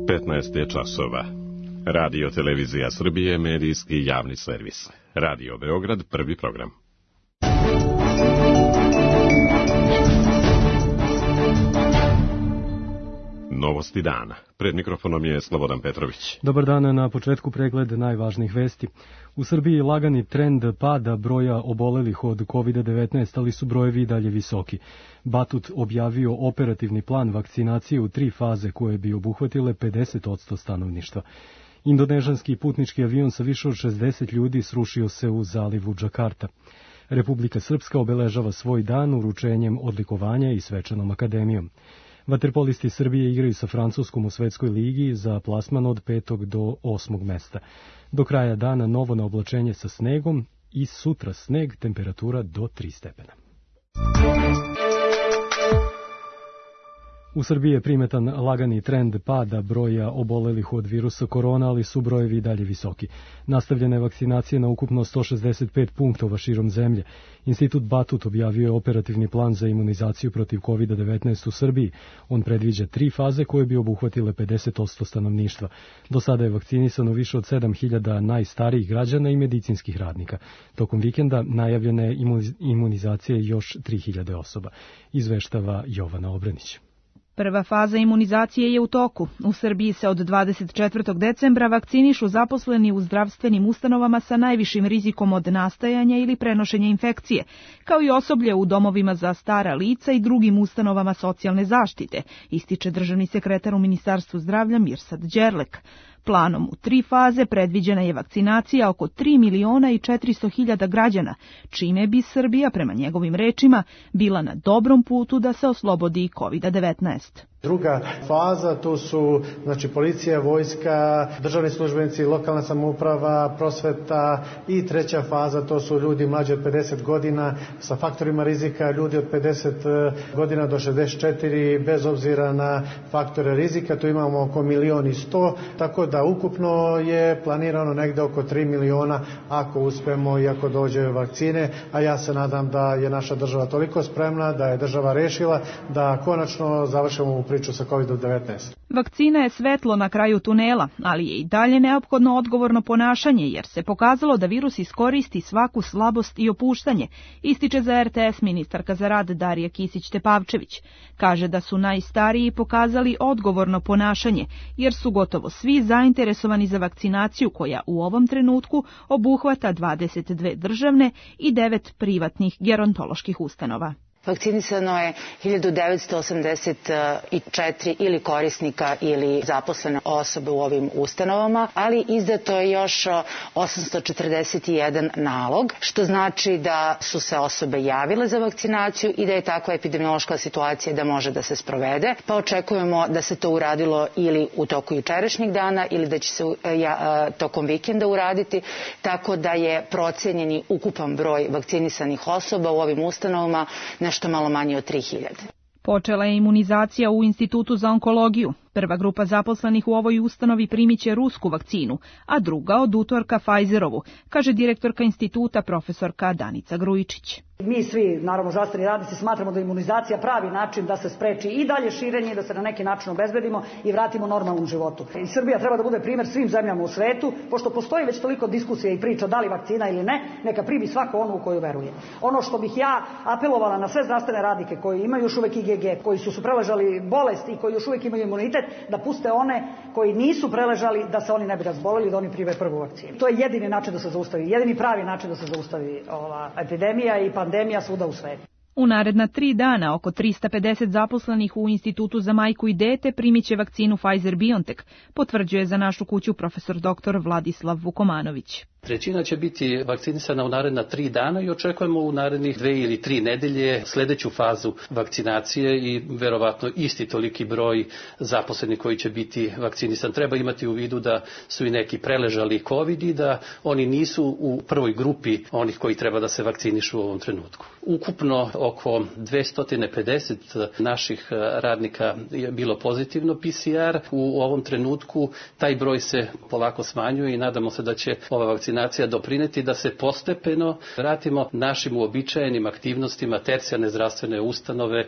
15 je časova. Radio Televizija Srbije, medijski javni servis. Radio Beograd, prvi program. Novosti dana. Pred mikrofonom je Slobodan Petrović. Dobar dan, na početku pregled najvažnijih vesti. U Srbiji lagani trend pada broja obolelih od COVID-19, ali su brojevi i dalje visoki. Batut objavio operativni plan vakcinacije u 3 faze koje bi obuhvatile 50% stanovništva. Indonežanski putnički avion sa više od 60 ljudi srušio se u zalivu Džakarta. Republika Srpska obeležava svoj dan uručenjem odlikovanja i svečanom akademijom. Vaterpolisti Srbije igraju sa Francuskom u svetskoj ligi za plasman od 5. do 8. mesta. Do kraja dana novo na oblačenje sa snegom i sutra sneg, temperatura do 3 stepena. U Srbiji je primetan lagani trend pada broja obolelih od virusa korona, ali su brojevi i dalje visoki. Nastavljena je vakcinacija na ukupno 165 punktova širom zemlje. Institut Batut objavio je operativni plan za imunizaciju protiv COVID-19 u Srbiji. On predviđa 3 faze koje bi obuhvatile 50% stanovništva. Do sada je vakcinisano više od 7.000 najstarijih građana i medicinskih radnika. Tokom vikenda najavljena je imunizacija još 3.000 osoba. Izveštava Jovana Obranić. Prva faza imunizacije je u toku. U Srbiji se od 24. decembra vakcinišu zaposleni u zdravstvenim ustanovama sa najvišim rizikom od nastajanja ili prenošenja infekcije, kao i osoblje u domovima za stara lica i drugim ustanovama socijalne zaštite, ističe državni sekretar u Ministarstvu zdravlja Mirsad Đerlek. Planom u 3 faze predviđena je vakcinacija oko 3.400.000 građana, čime bi Srbija, prema njegovim rečima, bila na dobrom putu da se oslobodi COVID-19. Druga faza, to su policija, vojska, državni službenici, lokalna samouprava, prosveta, i treća faza, to su ljudi mlađi od 50 godina sa faktorima rizika, ljudi od 50 godina do 64 bez obzira na faktore rizika, tu imamo oko 1.100.000, tako da ukupno je planirano negde oko 3 miliona ako uspemo i ako dođe vakcine, a ja se nadam da je naša država toliko spremna, da je država rešila da konačno završimo u priču sa COVID-19. Vakcina je svetlo na kraju tunela, ali je i dalje neophodno odgovorno ponašanje, jer se pokazalo da virus iskoristi svaku slabost i opuštanje, ističe za RTS ministarka za rad Darija Kisić-Tepavčević. Kaže da su najstariji pokazali odgovorno ponašanje, jer su gotovo svi zainteresovani za vakcinaciju koja u ovom trenutku obuhvata 22 državne i 9 privatnih gerontoloških ustanova. Vakcinisano je 1984 ili korisnika ili zaposlene osobe u ovim ustanovama, ali izdato je još 841 nalog, što znači da su se osobe javile za vakcinaciju i da je takva epidemiološka situacija da može da se sprovede, pa očekujemo da se to uradilo ili u toku jučerašnjeg dana ili da će se tokom vikenda uraditi, tako da je procenjeni ukupan broj vakcinisanih osoba u ovim ustanovama nešto malo manje od 3.000. Počela je imunizacija u Institutu za onkologiju. Prva grupa zaposlenih u ovoj ustanovi primiće rusku vakcinu, a druga od utorka Pfizerovu, kaže direktorka instituta profesorka Danica Grujičić. Mi svi, naravno zdravstveni radnici, smatramo da je imunizacija pravi način da se spreči i dalje širenje i da se na neki način obezbedimo i vratimo normalnom životu. I Srbija treba da bude primer svim zemljama u svetu, pošto postoji već toliko diskusija i priča da li vakcina ili ne, neka primi svako ono u koju veruje. Ono što bih ja apelovala na sve zdravstvene radnike koji imaju još uvek IgG, koji su preležali bolest i koji još uvek imaju imunitet, da puste one koji nisu preležali, da se oni ne bi razboleli, da oni prime prvu vakcinu. To je jedini način da se zaustavi, jedini pravi način da se zaustavi ova epidemija i pandemija svuda u svetu. U naredna 3 dana oko 350 zaposlenih u Institutu za majku i dete primiće vakcinu Pfizer-BioNTech, potvrđuje za našu kuću profesor dr. Vladislav Vukomanović. Trećina će biti vakcinisana u naredna 3 dana i očekujemo u narednih 2 ili 3 nedelje sledeću fazu vakcinacije i verovatno isti toliki broj zaposlenih koji će biti vakcinisan. Treba imati u vidu da su i neki preležali COVID i da oni nisu u prvoj grupi onih koji treba da se vakcinišu u ovom trenutku. Ukupno oko 250 naših radnika je bilo pozitivno PCR. U ovom trenutku taj broj se polako smanjuje i nadamo se da će ova vakcinacija doprineti da se postepeno vratimo našim uobičajenim aktivnostima tercijarne zdravstvene ustanove.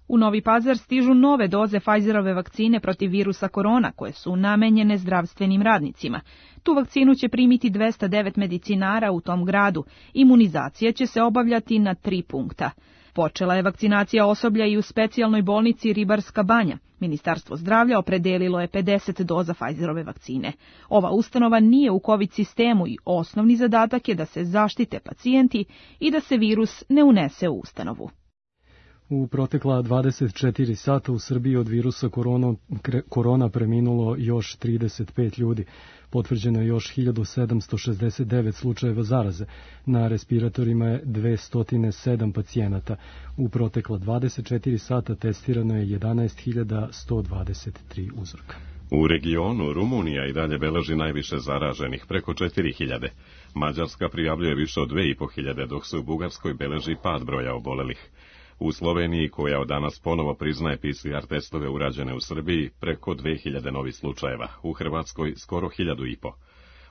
U Novi Pazar stižu nove doze Pfizerove vakcine protiv virusa korona koje su namenjene zdravstvenim radnicima. Tu vakcinu će primiti 209 medicinara u tom gradu. Imunizacija će se obavljati na 3 punkta. Počela je vakcinacija osoblja i u specijalnoj bolnici Ribarska Banja. Ministarstvo zdravlja opredelilo je 50 doza Pfizerove vakcine. Ova ustanova nije u COVID sistemu i osnovni zadatak je da se zaštite pacijenti i da se virus ne unese u ustanovu. U protekla 24 sata u Srbiji od virusa korona preminulo još 35 ljudi. Potvrđeno je još 1769 slučajeva zaraze. Na respiratorima je 207 pacijenata. U protekla 24 sata testirano je 11.123 uzorka. U regionu Rumunija i dalje beleži najviše zaraženih, preko 4.000. Mađarska prijavljuje više od 2.500, dok se u Bugarskoj beleži pad broja obolelih. U Sloveniji, koja od danas ponovo priznaje PCR testove urađene u Srbiji, preko 2000 novih slučajeva, u Hrvatskoj skoro 1.500.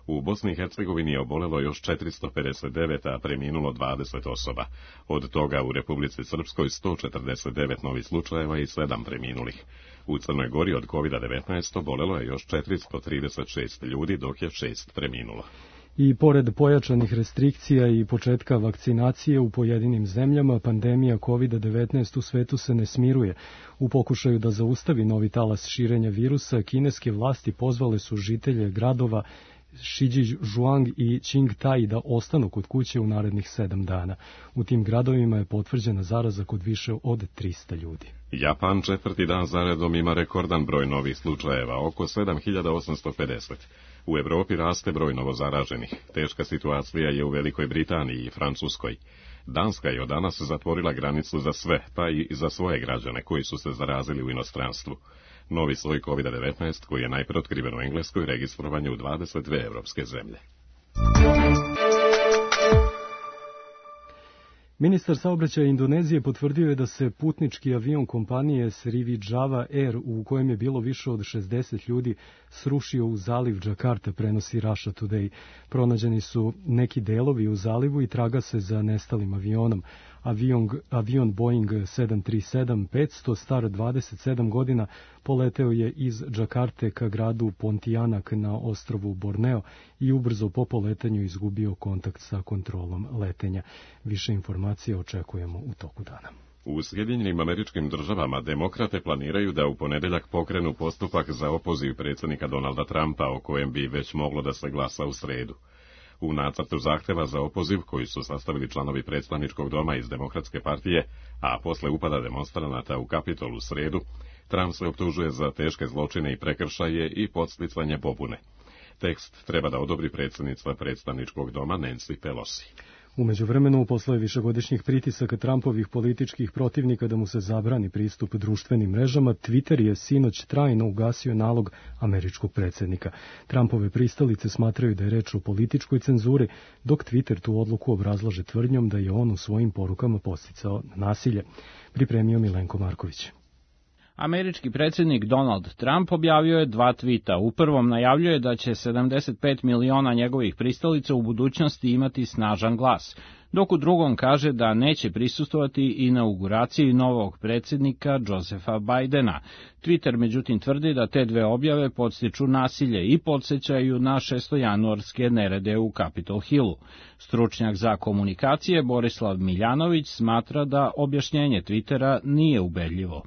U Bosni i Hercegovini je obolelo još 459, a preminulo 20 osoba. Od toga u Republici Srpskoj 149 novih slučajeva i 7 preminulih. U Crnoj Gori od COVID-19 obolelo je još 436 ljudi, dok je 6 preminulo. I pored pojačanih restrikcija i početka vakcinacije u pojedinim zemljama, pandemija COVID-19 u svetu se ne smiruje. U pokušaju da zaustavi novi talas širenja virusa, kineske vlasti pozvale su žitelje gradova Shijiazhuang i Qingdao da ostanu kod kuće u narednih 7 dana. U tim gradovima je potvrđena zaraza kod više od 300 ljudi. Japan 4. dan zaredom ima rekordan broj novih slučajeva, oko 7850. U Evropi raste broj novozaraženih. Teška situacija je u Velikoj Britaniji i Francuskoj. Danska je od danas zatvorila granicu za sve, pa i za svoje građane koji su se zarazili u inostranstvu. Novi soj COVID-19, koji je najpre otkriven u Engleskoj, registrovan je u 22 evropske zemlje. Ministar saobraćaja Indonezije potvrdio je da se putnički avion kompanije Sriwijaya Air, u kojem je bilo više od 60 ljudi, srušio u zaliv Džakarte, prenosi Russia Today. Pronađeni su neki delovi u zalivu i traga se za nestalim avionom. Avion Boeing 737-500, star 27 godina, poleteo je iz Džakarte ka gradu Pontianak na ostrvu Borneo i ubrzo po poletanju izgubio kontakt sa kontrolom letenja. Više informacija očekujemo u toku dana. U Sjedinjenim Američkim Državama demokrate planiraju da u ponedeljak pokrenu postupak za opoziv predsjednika Donalda Trumpa, o kojem bi već moglo da se glasa u sredu. U nacrtu zahteva za opoziv, koji su sastavili članovi predstavničkog doma iz Demokratske partije, a posle upada demonstranata u Kapitol u sredu, Trump se optužuje za teške zločine i prekršaje i podsticanje pobune. Tekst treba da odobri predsjednica predstavničkog doma Nancy Pelosi. U međuvremenu, posle višegodišnjih pritisaka Trumpovih političkih protivnika da mu se zabrani pristup društvenim mrežama, Twitter je sinoć trajno ugasio nalog američkog predsjednika. Trumpove pristalice smatraju da je reč o političkoj cenzuri, dok Twitter tu odluku obrazlaže tvrdnjom da je on u svojim porukama podsticao nasilje. Pripremio Milenko Marković. Američki predsjednik Donald Trump objavio je 2 tvita. U prvom najavljuje da će 75 miliona njegovih pristalica u budućnosti imati snažan glas, dok u drugom kaže da neće prisustvovati inauguraciji novog predsjednika Josepha Bidena. Twitter međutim tvrdi da te dve objave podstiču nasilje i podsjećaju na 6. nerede u Capitol Hillu. Stručnjak za komunikacije Borislav Miljanović smatra da objašnjenje Twittera nije ubedljivo.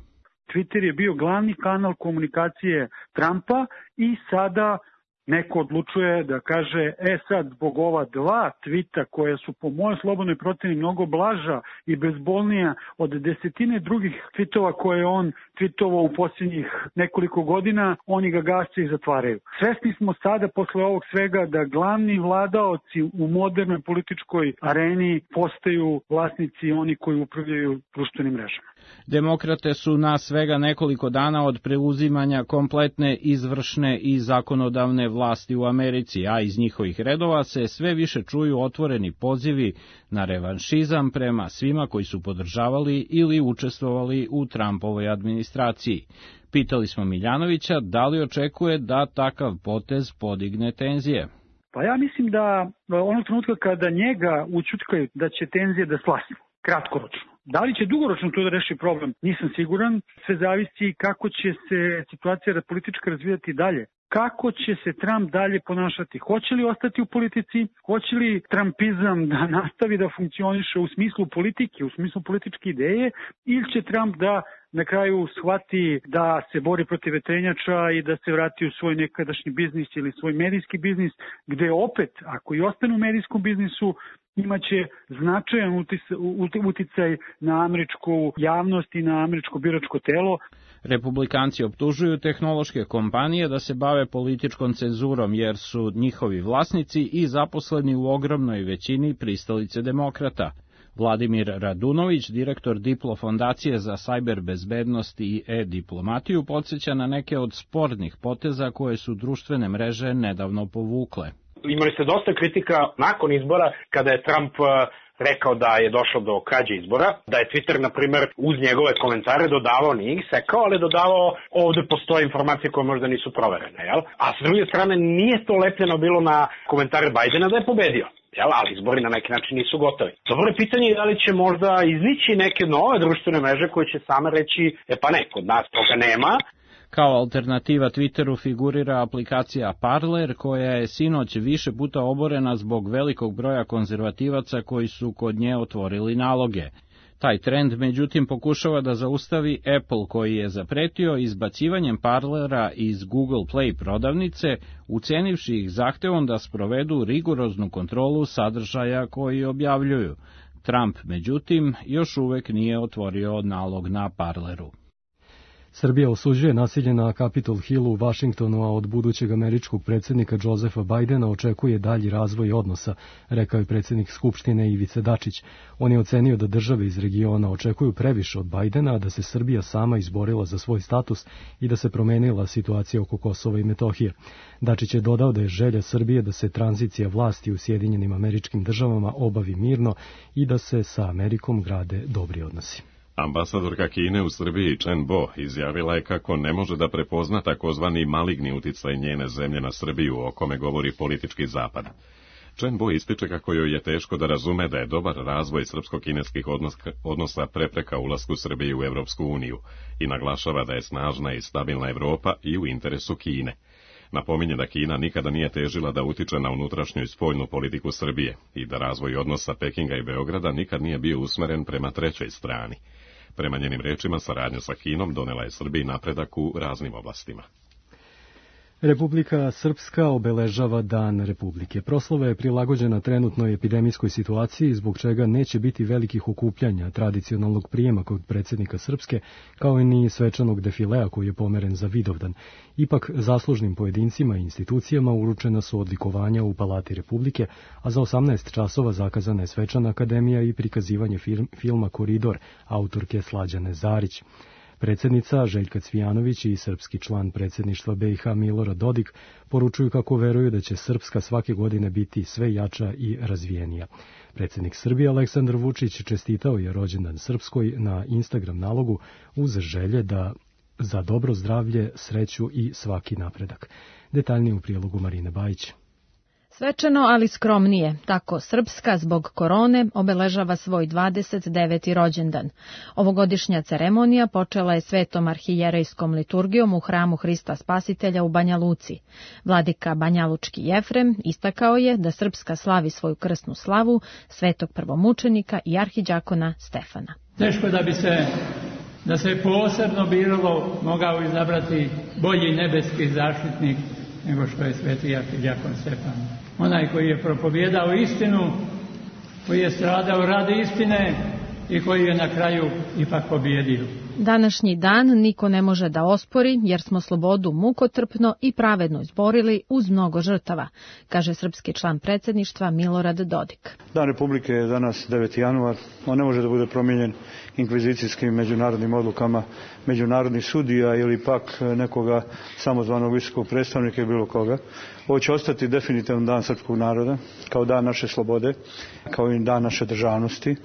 Twitter je bio glavni kanal komunikacije Trumpa i sada neko odlučuje da kaže, sad zbog ova 2 tvita koje su po mojoj slobodnoj proceni mnogo blaža i bezbolnija od desetine drugih tvitova koje on tvitovao u posljednjih nekoliko godina, oni ga gase i zatvaraju. Svesni smo sada posle ovog svega da glavni vladaoci u modernoj političkoj areni postaju vlasnici oni koji upravljaju društvenim mrežama. Demokrate su na svega nekoliko dana od preuzimanja kompletne izvršne i zakonodavne vlasti u Americi, a iz njihovih redova se sve više čuju otvoreni pozivi na revanšizam prema svima koji su podržavali ili učestvovali u Trumpovoj administraciji. Pitali smo Miljanovića da li očekuje da takav potez podigne tenzije. Pa ja mislim da onog trenutka kada njega učutkaju da će tenzije da slasnu, kratkoročno, Da li će dugoročno to da reši problem? Nisam siguran. Sve zavisi kako će se situacija politička razvijati dalje. Kako će se Trump dalje ponašati? Hoće li ostati u politici? Hoće li trumpizam da nastavi da funkcioniše u smislu politike, u smislu političke ideje? Ili će Trump da na kraju shvati da se bori protiv vetrenjača i da se vrati u svoj nekadašnji biznis ili svoj medijski biznis, gde opet, ako i ostane u medijskom biznisu, imaće značajan uticaj na američku javnost i na američko biračko telo. Republikanci optužuju tehnološke kompanije da se bave političkom cenzurom jer su njihovi vlasnici i zaposleni u ogromnoj većini pristalice demokrata. Vladimir Radunović, direktor Diplo fondacije za sajber bezbednost i e-diplomatiju, podsjeća na neke od spornih poteza koje su društvene mreže nedavno povukle. Imali ste dosta kritika nakon izbora kada je Trump rekao da je došlo do krađe izbora, da je Twitter, na primer, uz njegove komentare dodavao, nije ih sekao, ali dodavao ovde postoje informacije koje možda nisu proverene, jel? A s druge strane nije to lepljeno bilo na komentare Bajdena da je pobedio. Jel, ali izbori na neki način nisu gotovi. Dobro je pitanje da li će možda iznići neke nove društvene mreže koje će same reći, pa ne, kod nas toga nema. Kao alternativa Twitteru figurira aplikacija Parler, koja je sinoć više puta oborena zbog velikog broja konzervativaca koji su kod nje otvorili naloge. Taj trend, međutim, pokušava da zaustavi Apple, koji je zapretio izbacivanjem Parlera iz Google Play prodavnice, ucenivši ih zahtevom da sprovedu rigoroznu kontrolu sadržaja koji objavljuju. Trump, međutim, još uvek nije otvorio nalog na Parleru. Srbija osuđuje nasilje na Capitol Hillu u Vašingtonu, a od budućeg američkog predsjednika Josepha Bidena očekuje dalji razvoj odnosa, rekao je predsjednik Skupštine Ivica Dačić. On je ocenio da države iz regiona očekuju previše od Bidena, a da se Srbija sama izborila za svoj status i da se promenila situacija oko Kosova i Metohije. Dačić je dodao da je želja Srbije da se tranzicija vlasti u Sjedinjenim Američkim Državama obavi mirno i da se sa Amerikom grade dobri odnosi. Ambasadorka Kine u Srbiji Chen Bo izjavila je kako ne može da prepozna takozvani maligni uticaj njene zemlje na Srbiju, o kome govori politički zapad. Chen Bo ističe kako joj je teško da razume da je dobar razvoj srpsko-kineskih odnosa prepreka ulasku Srbije u Evropsku uniju i naglašava da je snažna i stabilna Evropa i u interesu Kine. Napominje da Kina nikada nije težila da utiče na unutrašnju i spoljnu politiku Srbije i da razvoj odnosa Pekinga i Beograda nikad nije bio usmeren prema trećoj strani. Prema njenim rečima, saradnja sa Kinom donela je Srbiji napredak u raznim oblastima. Republika Srpska obeležava Dan Republike. Proslava je prilagođena trenutnoj epidemijskoj situaciji, zbog čega neće biti velikih okupljanja, tradicionalnog prijema kod predsjednika Srpske, kao i ni svečanog defilea koji je pomeren za Vidovdan. Ipak, zaslužnim pojedincima i institucijama uručena su odlikovanja u Palati Republike, a za 18 časova zakazana je svečana akademija i prikazivanje filma Koridor, autorke Slađane Zarić. Predsjednica Željka Cvijanović i srpski član predsjedništva BiH Milorad Dodik poručuju kako veruju da će Srpska svake godine biti sve jača i razvijenija. Predsjednik Srbije Aleksandar Vučić čestitao je rođendan Srpskoj na Instagram nalogu uz želje da za dobro zdravlje, sreću i svaki napredak. Detaljnije u prilogu Marine Bajić. Svečano, ali skromnije, tako Srpska zbog korone obeležava svoj 29. rođendan. Ovogodišnja ceremonija počela je svetom arhijerejskom liturgijom u hramu Hrista Spasitelja u Banja Luci. Vladika Banjalučki Jefrem istakao je da Srpska slavi svoju krsnu slavu svetog prvomučenika i arhiđakona Stefana. Teško da se posebno biralo mogao izabrati bolji nebeski zaštitnik nego što je sveti arhiđakon Stefan. Onaj koji je propovijedao istinu, koji je stradao radi istine i koji je na kraju ipak pobjedio. Današnji dan niko ne može da ospori, jer smo slobodu mukotrpno i pravedno izborili uz mnogo žrtava, kaže srpski član predsjedništva Milorad Dodik. Dan Republike je danas 9. januar. On ne može da bude promijenjen inkvizicijskim međunarodnim odlukama međunarodnih sudija ili pak nekoga samozvanog visokog predstavnika ili bilo koga. Ovo će ostati definitivno dan srpskog naroda, kao dan naše slobode, kao i dan naše državnosti.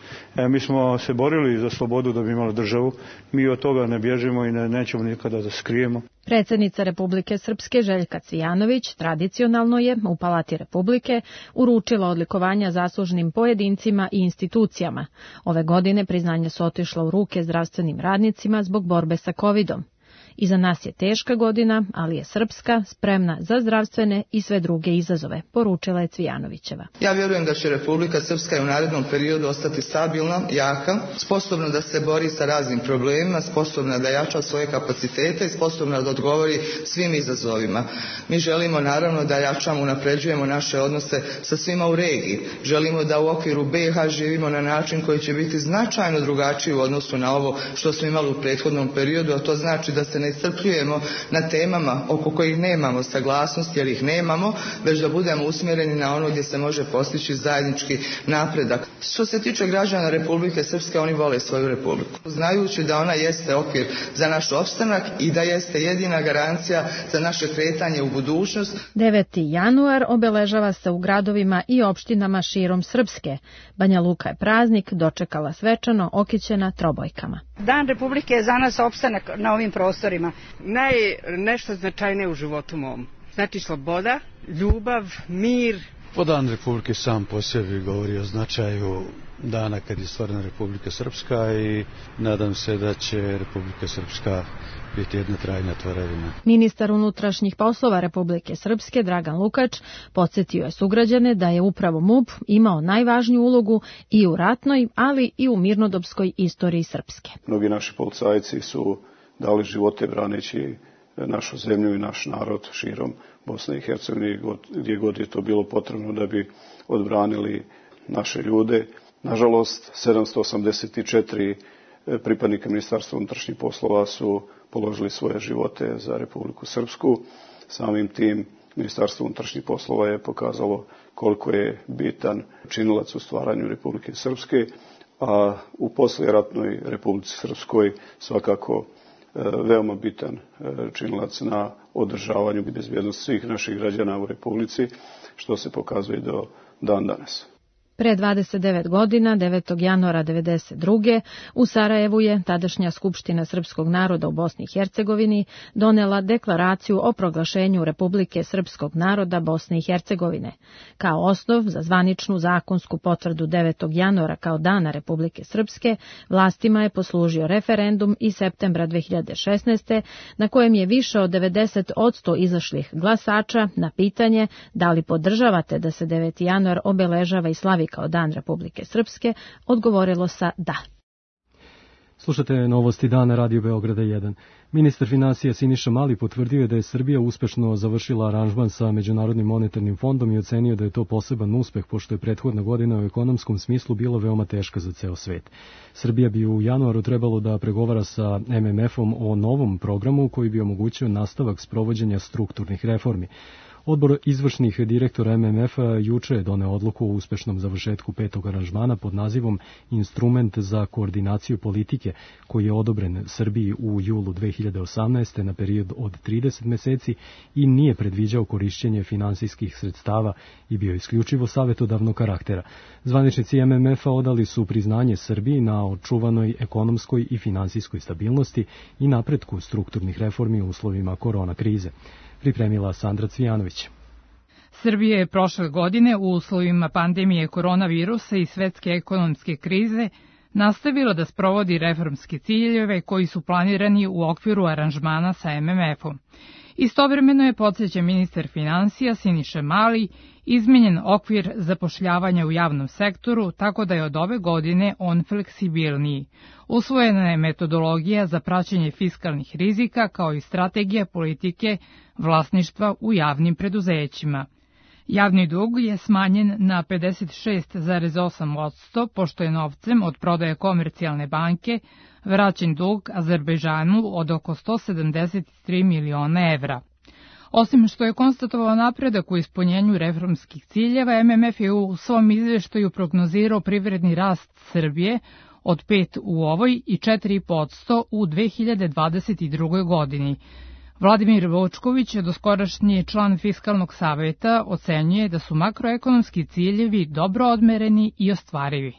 Mi smo se borili za slobodu da bi imali državu. Mi od toga ne bježimo i nećemo nikada da skrijemo. Predsjednica Republike Srpske Željka Cvijanović tradicionalno je u Palati Republike uručila odlikovanja zaslužnim pojedincima i institucijama. Ove godine priznanja su otišla u ruke zdravstvenim radnicima zbog borbe sa covidom. Iza nas je teška godina, ali je Srpska spremna za zdravstvene i sve druge izazove, poručila je Cvijanovićeva. Ja vjerujem da će Republika Srpska i u narednom periodu ostati stabilna, jaka, sposobna da se bori sa raznim problemima, sposobna da jača svoje kapacitete i sposobna da odgovori svim izazovima. Mi želimo naravno da jačamo, unapređujemo naše odnose sa svima u regiji. Želimo da u okviru BiH živimo na način koji će biti značajno drugačiji u odnosu na ovo što smo imali u prethodnom periodu, a to znači da se ne iscrpljujemo na temama oko kojih nemamo saglasnost, jer ih nemamo, već da budemo usmjereni na ono gdje se može postići zajednički napredak. Što se tiče građana Republike Srpske, oni vole svoju republiku, znajući da ona jeste okvir za naš opstanak i da jeste jedina garancija za naše kretanje u budućnost. 9. januar obeležava se u gradovima i opštinama širom Srpske. Banja Luka je praznik dočekala svečano okićena trobojkama. Dan Republike je za nas opstanak na ovim prostorima. Nešto značajnije u životu mom. Znači sloboda, ljubav, mir. Dan Republike sam po sebi govori o značaju dana kad je stvorena Republika Srpska i nadam se da će Republika Srpska biti jedna trajna tvorevina. Ministar unutrašnjih poslova Republike Srpske Dragan Lukač podsjetio je sugrađane da je upravo MUP imao najvažniju ulogu i u ratnoj, ali i u mirnodopskoj istoriji Srpske. Mnogi naši policajci su dali živote braneći našu zemlju i naš narod širom Bosne i Hercegovine, gdje god je to bilo potrebno da bi odbranili naše ljude. Nažalost, 784 pripadnika Ministarstva unutrašnjih poslova su položili svoje živote za Republiku Srpsku. Samim tim Ministarstvo unutrašnjih poslova je pokazalo koliko je bitan činilac u stvaranju Republike Srpske, a u poslijeratnoj Republici Srpskoj svakako veoma bitan činilac na održavanju i bezbjednosti svih naših građana u Republici, što se pokazuje do dan danas. Pre 29 godina, 9. januara 1992. u Sarajevu je tadašnja Skupština srpskog naroda u Bosni i Hercegovini donela deklaraciju o proglašenju Republike srpskog naroda Bosne i Hercegovine. Kao osnov za zvaničnu zakonsku potvrdu 9. januara kao dana Republike Srpske, vlastima je poslužio referendum iz septembra 2016. na kojem je više od 90% izašlih glasača na pitanje da li podržavate da se 9. januar obeležava i slavi kao Dan Republike Srpske, odgovorilo sa da. Slušate novosti dana Radio Beograda 1. Ministar finansija Siniša Mali potvrdio je da je Srbija uspešno završila aranžman sa Međunarodnim monetarnim fondom i ocenio da je to poseban uspeh, pošto je prethodna godina u ekonomskom smislu bila veoma teška za ceo svet. Srbija bi u januaru trebalo da pregovara sa MMF-om o novom programu koji bi omogućio nastavak sprovođenja strukturnih reformi. Odbor izvršnih direktora MMF-a juče je doneo odluku o uspešnom završetku petog aranžmana pod nazivom Instrument za koordinaciju politike, koji je odobren Srbiji u julu 2018. na period od 30 meseci i nije predviđao korišćenje finansijskih sredstava i bio isključivo savjetodavnog karaktera. Zvaničnici MMF-a odali su priznanje Srbiji na očuvanoj ekonomskoj i finansijskoj stabilnosti i napretku strukturnih reformi u uslovima korona krize. Pripremila Sandra Cvijanović. Srbija je prošle godine u uslovima pandemije koronavirusa i svetske ekonomske krize nastavila da sprovodi reformske ciljeve koji su planirani u okviru aranžmana sa MMF-om. Istovremeno je, podsjeća ministar finansija Siniša Mali, izmenjen okvir zapošljavanja u javnom sektoru, tako da je od ove godine on fleksibilniji. Usvojena je metodologija za praćenje fiskalnih rizika kao i strategija politike vlasništva u javnim preduzećima. Javni dug je smanjen na 56,8%, pošto je novcem od prodaje Komercijalne banke vraćen dug Azerbejdžanu od oko 173 miliona evra. Osim što je konstatovao napredak u ispunjenju reformskih ciljeva, MMF je u svom izveštaju prognozirao privredni rast Srbije od 5% u ovoj i 4% u 2022. godini. Vladimir Vočković, doskorašnji član Fiskalnog saveta, ocenjuje da su makroekonomski ciljevi dobro odmereni i ostvarivi.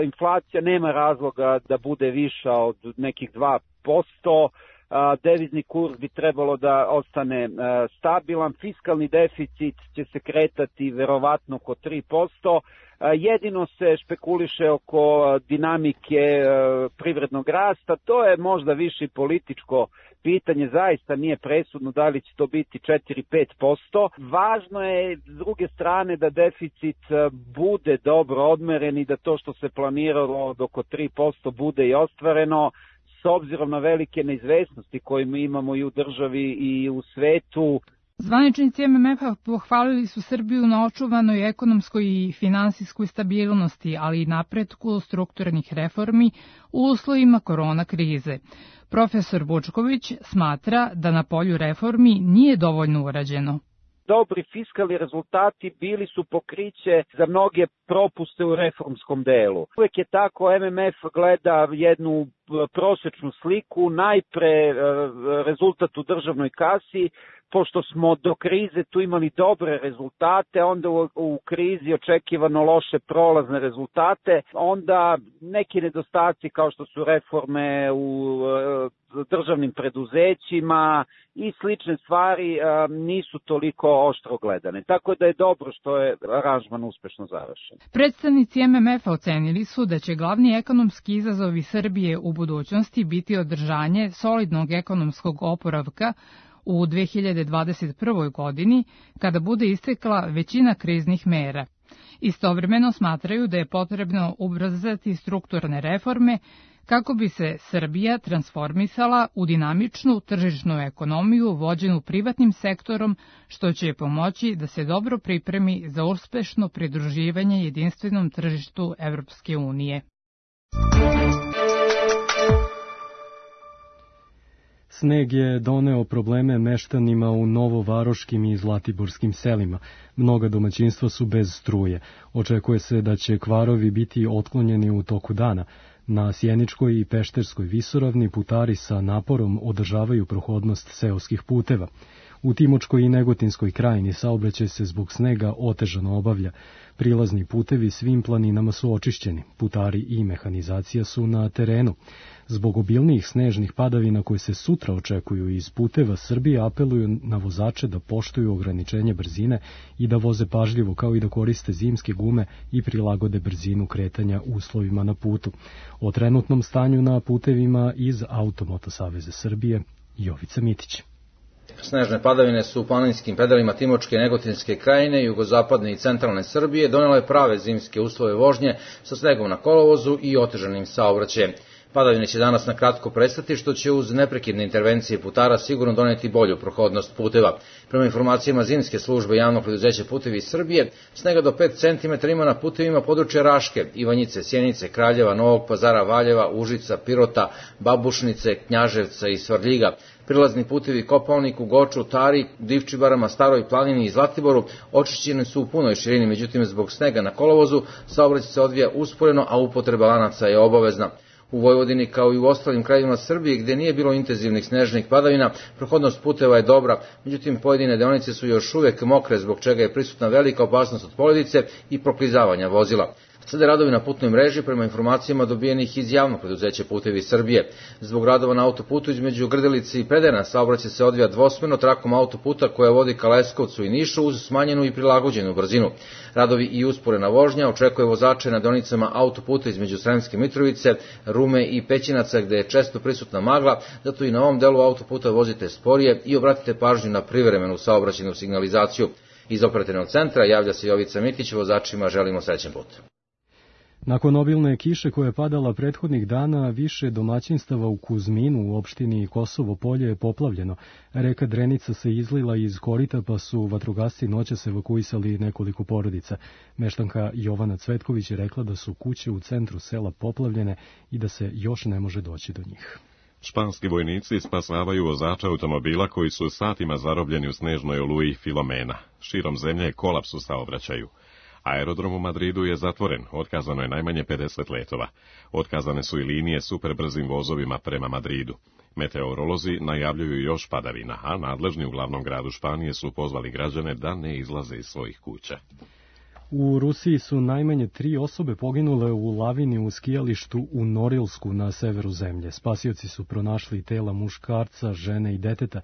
Inflacija nema razloga da bude viša od nekih 2%, devizni kurs bi trebalo da ostane stabilan, fiskalni deficit će se kretati verovatno oko 3%, jedino se špekuliše oko dinamike privrednog rasta, to je možda više političko pitanje, zaista nije presudno da li će to biti 4-5%. Važno je s druge strane da deficit bude dobro odmeren i da to što se planiralo od oko 3% bude i ostvareno, s obzirom na velike neizvesnosti koje mi imamo i u državi i u svetu. Zvaničnici MMF-a pohvalili su Srbiju na očuvanoj ekonomskoj i finansijskoj stabilnosti, ali i napretku strukturnih reformi u uslovima korona krize. Profesor Vučković smatra da na polju reformi nije dovoljno urađeno. Dobri fiskalni rezultati bili su pokriće za mnoge propuste u reformskom delu. Uvijek je tako, MMF gleda jednu prosečnu sliku, najpre rezultat u državnoj kasi, pošto smo do krize tu imali dobre rezultate, onda u krizi očekivano loše prolazne rezultate, onda neki nedostaci kao što su reforme u državnim preduzećima i slične stvari nisu toliko oštro gledane. Tako da je dobro što je aranžman uspešno završen. Predstavnici MMF-a ocenili su da će glavni ekonomski izazovi Srbije u budućnosti biti održanje solidnog ekonomskog oporavka u 2021. godini, kada bude istekla većina kriznih mera. Istovremeno smatraju da je potrebno ubrzati strukturne reforme kako bi se Srbija transformisala u dinamičnu tržišnu ekonomiju vođenu privatnim sektorom, što će pomoći da se dobro pripremi za uspešno pridruživanje jedinstvenom tržištu Evropske unije. Sneg je doneo probleme meštanima u novovaroškim i zlatiborskim selima. Mnoga domaćinstva su bez struje. Očekuje se da će kvarovi biti otklonjeni u toku dana. Na Sjeničkoj i Pešterskoj visoravni putari sa naporom održavaju prohodnost seoskih puteva. U Timočkoj i Negotinskoj krajini saobraćaj se zbog snega otežano obavlja. Prilazni putevi svim planinama su očišćeni, putari i mehanizacija su na terenu. Zbog obilnijih snežnih padavina koje se sutra očekuju iz puteva, Srbije apeluju na vozače da poštuju ograničenje brzine i da voze pažljivo, kao i da koriste zimske gume i prilagode brzinu kretanja uslovima na putu. O trenutnom stanju na putevima iz Automoto saveza Srbije, Jovica Mitić. Snežne padavine su u planinskim predelima Timočke i Negotinske krajine, jugozapadne i centralne Srbije donele prave zimske uslove vožnje sa snegom na kolovozu i otežanim saobraćajem. Padavine će danas na kratko prestati, što će uz neprekidne intervencije putara sigurno doneti bolju prohodnost puteva. Prema informacijama zimske službe javnog preduzeća Putevi Srbije, snega do 5 cm ima na putevima područja Raške, Ivanjice, Sjenice, Kraljeva, Novog Pazara, Valjeva, Užica, Pirota, Babušnice, Knjaževca i Svarljiga. Prilazni putevi Kopaoniku, Goču, Tari, Divčibarama, Staroj planini i Zlatiboru očišćeni su u punoj širini, međutim zbog snega na kolovozu saobraćaj se odvija usporeno, a upotreba lanaca je obavezna. U Vojvodini, kao i u ostalim krajevima Srbije, gdje nije bilo intenzivnih snežnih padavina, prohodnost puteva je dobra, međutim pojedine deonice su još uvijek mokre, zbog čega je prisutna velika opasnost od poledice i proklizavanja vozila. Slede radovi na putnoj mreži prema informacijama dobijenih iz javnog preduzeća Putevi Srbije. Zbog radova na autoputu između Grdelice i Predena saobraćaj se odvija dvosmerno trakom autoputa koja vodi ka Leskovcu i Nišu uz smanjenu i prilagođenu brzinu. Radovi i usporena vožnja očekuje vozače na deonicama autoputa između Sremske Mitrovice, Rume i Pećinaca, gde je često prisutna magla, zato i na ovom delu autoputa vozite sporije i obratite pažnju na privremenu saobraćajnu signalizaciju. Iz operativnog centra javlja se Jovica Mitić, vozačima želimo srećan put. Nakon obilne kiše koja je padala prethodnih dana, više domaćinstava u Kuzminu u opštini Kosovo Polje je poplavljeno. Reka Drenica se izlila iz korita, pa su vatrogasci noćas evakuisali nekoliko porodica. Meštanka Jovana Cvetković je rekla da su kuće u centru sela poplavljene i da se još ne može doći do njih. Španski vojnici spasavaju vozača automobila koji su satima zarobljeni u snežnoj oluji Filomena. Širom zemlje je kolaps u saobraćaju. Aerodrom u Madridu je zatvoren, otkazano je najmanje 50 letova. Otkazane su i linije superbrzim vozovima prema Madridu. Meteorolozi najavljuju još padavina, a nadležni u glavnom gradu Španije su pozvali građane da ne izlaze iz svojih kuća. U Rusiji su najmanje 3 osobe poginule u lavini u skijalištu u Norilsku na severu zemlje. Spasioci su pronašli tela muškarca, žene i deteta.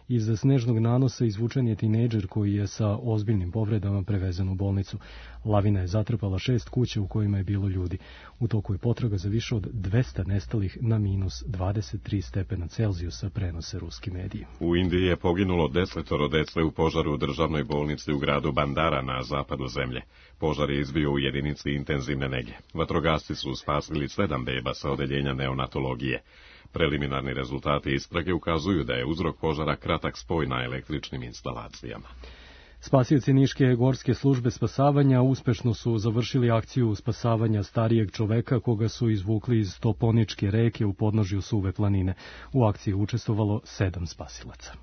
Iz snežnog nanosa izvučen je tinejdžer koji je sa ozbiljnim povredama prevezen u bolnicu. Lavina je zatrpala 6 kuća u kojima je bilo ljudi. U toku je potraga za više od 200 nestalih na minus 23 stepena Celzijusa, prenose ruski mediji. U Indiji je poginulo 10 dece u požaru u državnoj bolnici u gradu Bandara na zapadu zemlje. Požar je izbio u jedinici intenzivne nege. Vatrogasci su spasili 7 beba sa odeljenja neonatologije. Preliminarni rezultati istrage ukazuju da je uzrok požara kratak spoj na električnim instalacijama. Spasioci Niške gorske službe spasavanja uspešno su završili akciju spasavanja starijeg čoveka koga su izvukli iz Toponičke reke u podnožju Suve planine. U akciji je učestvovalo 7 spasilaca.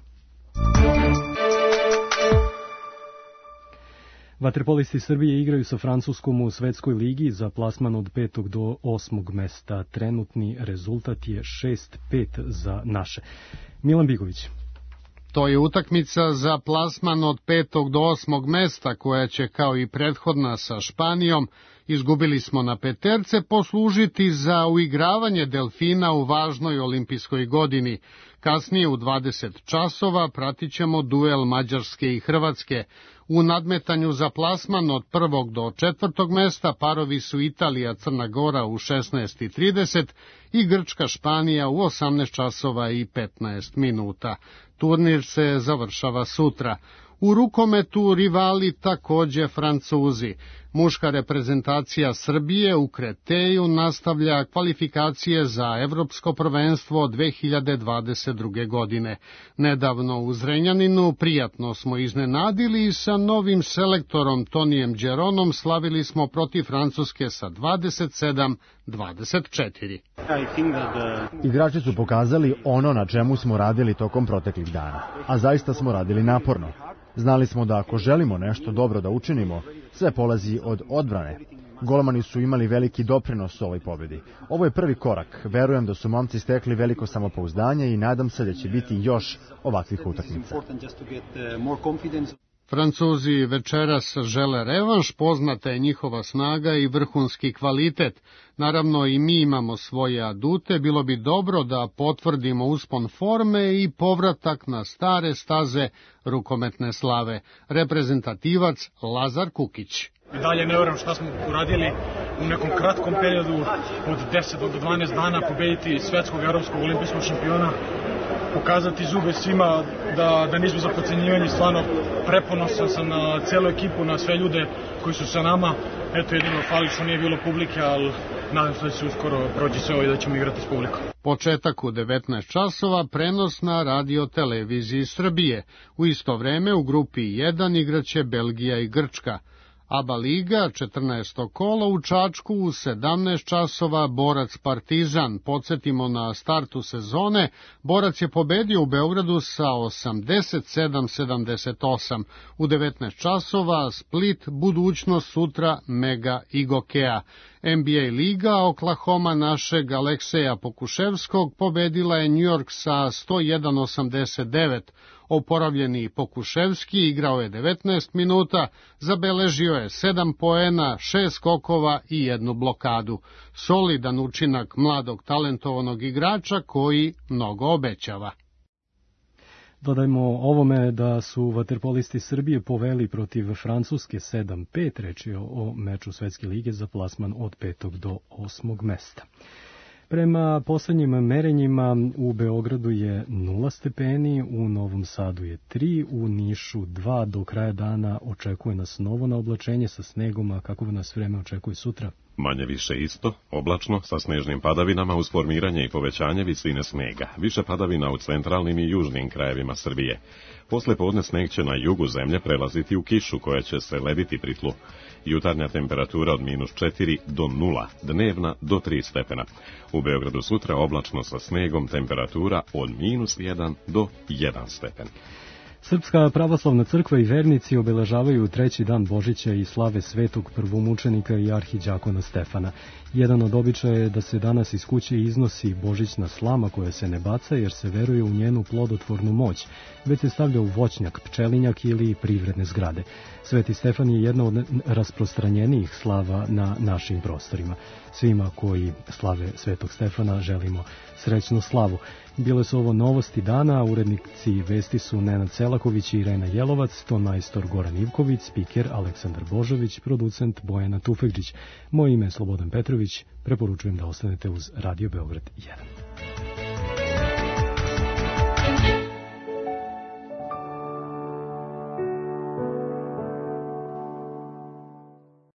Vaterpolisti Srbije igraju sa Francuskom u svetskoj ligi za plasman od 5. do 8. mesta. Trenutni rezultat je 6-5 za naše. Milan Bigović. To je utakmica za plasman od 5. do 8. mesta koja će kao i prethodna sa Španijom, izgubili smo na peterce, poslužiti za uigravanje delfina u važnoj olimpijskoj godini. Kasnije u 20 časova pratit ćemo duel Mađarske i Hrvatske. U nadmetanju za plasman od 1. do 4. mesta parovi su Italija Crna Gora u 16:30 i Grčka Španija u 18 časova i 15 minuta. Turnir se završava sutra. U rukometu rivali takođe Francuzi. Muška reprezentacija Srbije u Kreteju nastavlja kvalifikacije za Evropsko prvenstvo 2022. godine. Nedavno u Zrenjaninu prijatno smo iznenadili i sa novim selektorom Tonijem Đeronom slavili smo protiv Francuske sa 27-24. Igrači su pokazali ono na čemu smo radili tokom proteklih dana, a zaista smo radili naporno. Znali smo da ako želimo nešto dobro da učinimo, sve polazi od odbrane. Golmani su imali veliki doprinos u ovoj pobedi. Ovo je prvi korak. Verujem da su momci stekli veliko samopouzdanje i nadam se da će biti još ovakvih utakmica. Francuzi večeras žele revanš, poznata je njihova snaga i vrhunski kvalitet. Naravno i mi imamo svoje adute, bilo bi dobro da potvrdimo uspon forme i povratak na stare staze rukometne slave. Reprezentativac Lazar Kukić. I dalje ne verujem šta smo uradili u nekom kratkom periodu od 10 do 12 dana pobediti svetskog evropskog olimpijskog šampiona, pokazati zube svima da nismo za podcenjivanje, stvarno preponosan sam na celu ekipu, na sve ljude koji su sa nama. Eto, jedino fali što nije bilo publike, ali nadam se da će uskoro proći sve ovo i da ćemo igrati s publikom. Početak u 19 časova, prenos na radio televiziji Srbije. U isto vreme u grupi 1 igraće Belgija i Grčka. ABA Liga, 14. kolo u Čačku u 17 časova, Borac Partizan. Podsjetimo na startu sezone, Borac je pobedio u Beogradu sa 87-78. U 19 časova, Split, budućnost sutra, Mega i Gokea. NBA Liga, Oklahoma našeg Alekseja Pokuševskog pobedila je New York sa 101-89. Oporavljeni Pokuševski igrao je 19 minuta, zabeležio je 7 poena, 6 skokova i 1 blokadu. Solidan učinak mladog talentovanog igrača koji mnogo obećava. Dodajmo ovome da su vaterpolisti Srbije poveli protiv Francuske 7-5, reč je o meču Svetske lige za plasman od 5. do 8. mesta. Prema poslednjim merenjima u Beogradu je 0 stepeni, u Novom Sadu je 3, u Nišu 2, do kraja dana očekuje nas novo naoblačenje sa snegom, a kako nas vreme očekuje sutra? Manje više isto, oblačno, sa snežnim padavinama uz formiranje i povećanje visine snega. Više padavina u centralnim i južnim krajevima Srbije. Posle podne sneg će na jugu zemlje prelaziti u kišu koja će se lediti pri tlu. Jutarnja temperatura od -4 do 0, dnevna do 3 stepena. U Beogradu sutra oblačno sa snegom, temperatura od -1 do 1 stepen. Srpska pravoslavna crkva i vernici obeležavaju treći dan Božića i slave svetog prvomučenika i arhiđakona Stefana. Jedan od običaja je da se danas iz kuće iznosi božićna slama koja se ne baca jer se veruje u njenu plodotvornu moć, već se stavlja u voćnjak, pčelinjak ili privredne zgrade. Sveti Stefan je jedna od rasprostranjenijih slava na našim prostorima. Svima koji slave Svetog Stefana želimo srećnu slavu. Bile su ovo novosti dana, urednici vesti su Nenad Selaković i Irena Jelovac, ton majstor Goran Ivković, spiker Aleksandar Božović, producent Bojana Tufekđić. Moje ime je Slobodan Petrović, preporučujem da ostanete uz Radio Beograd 1.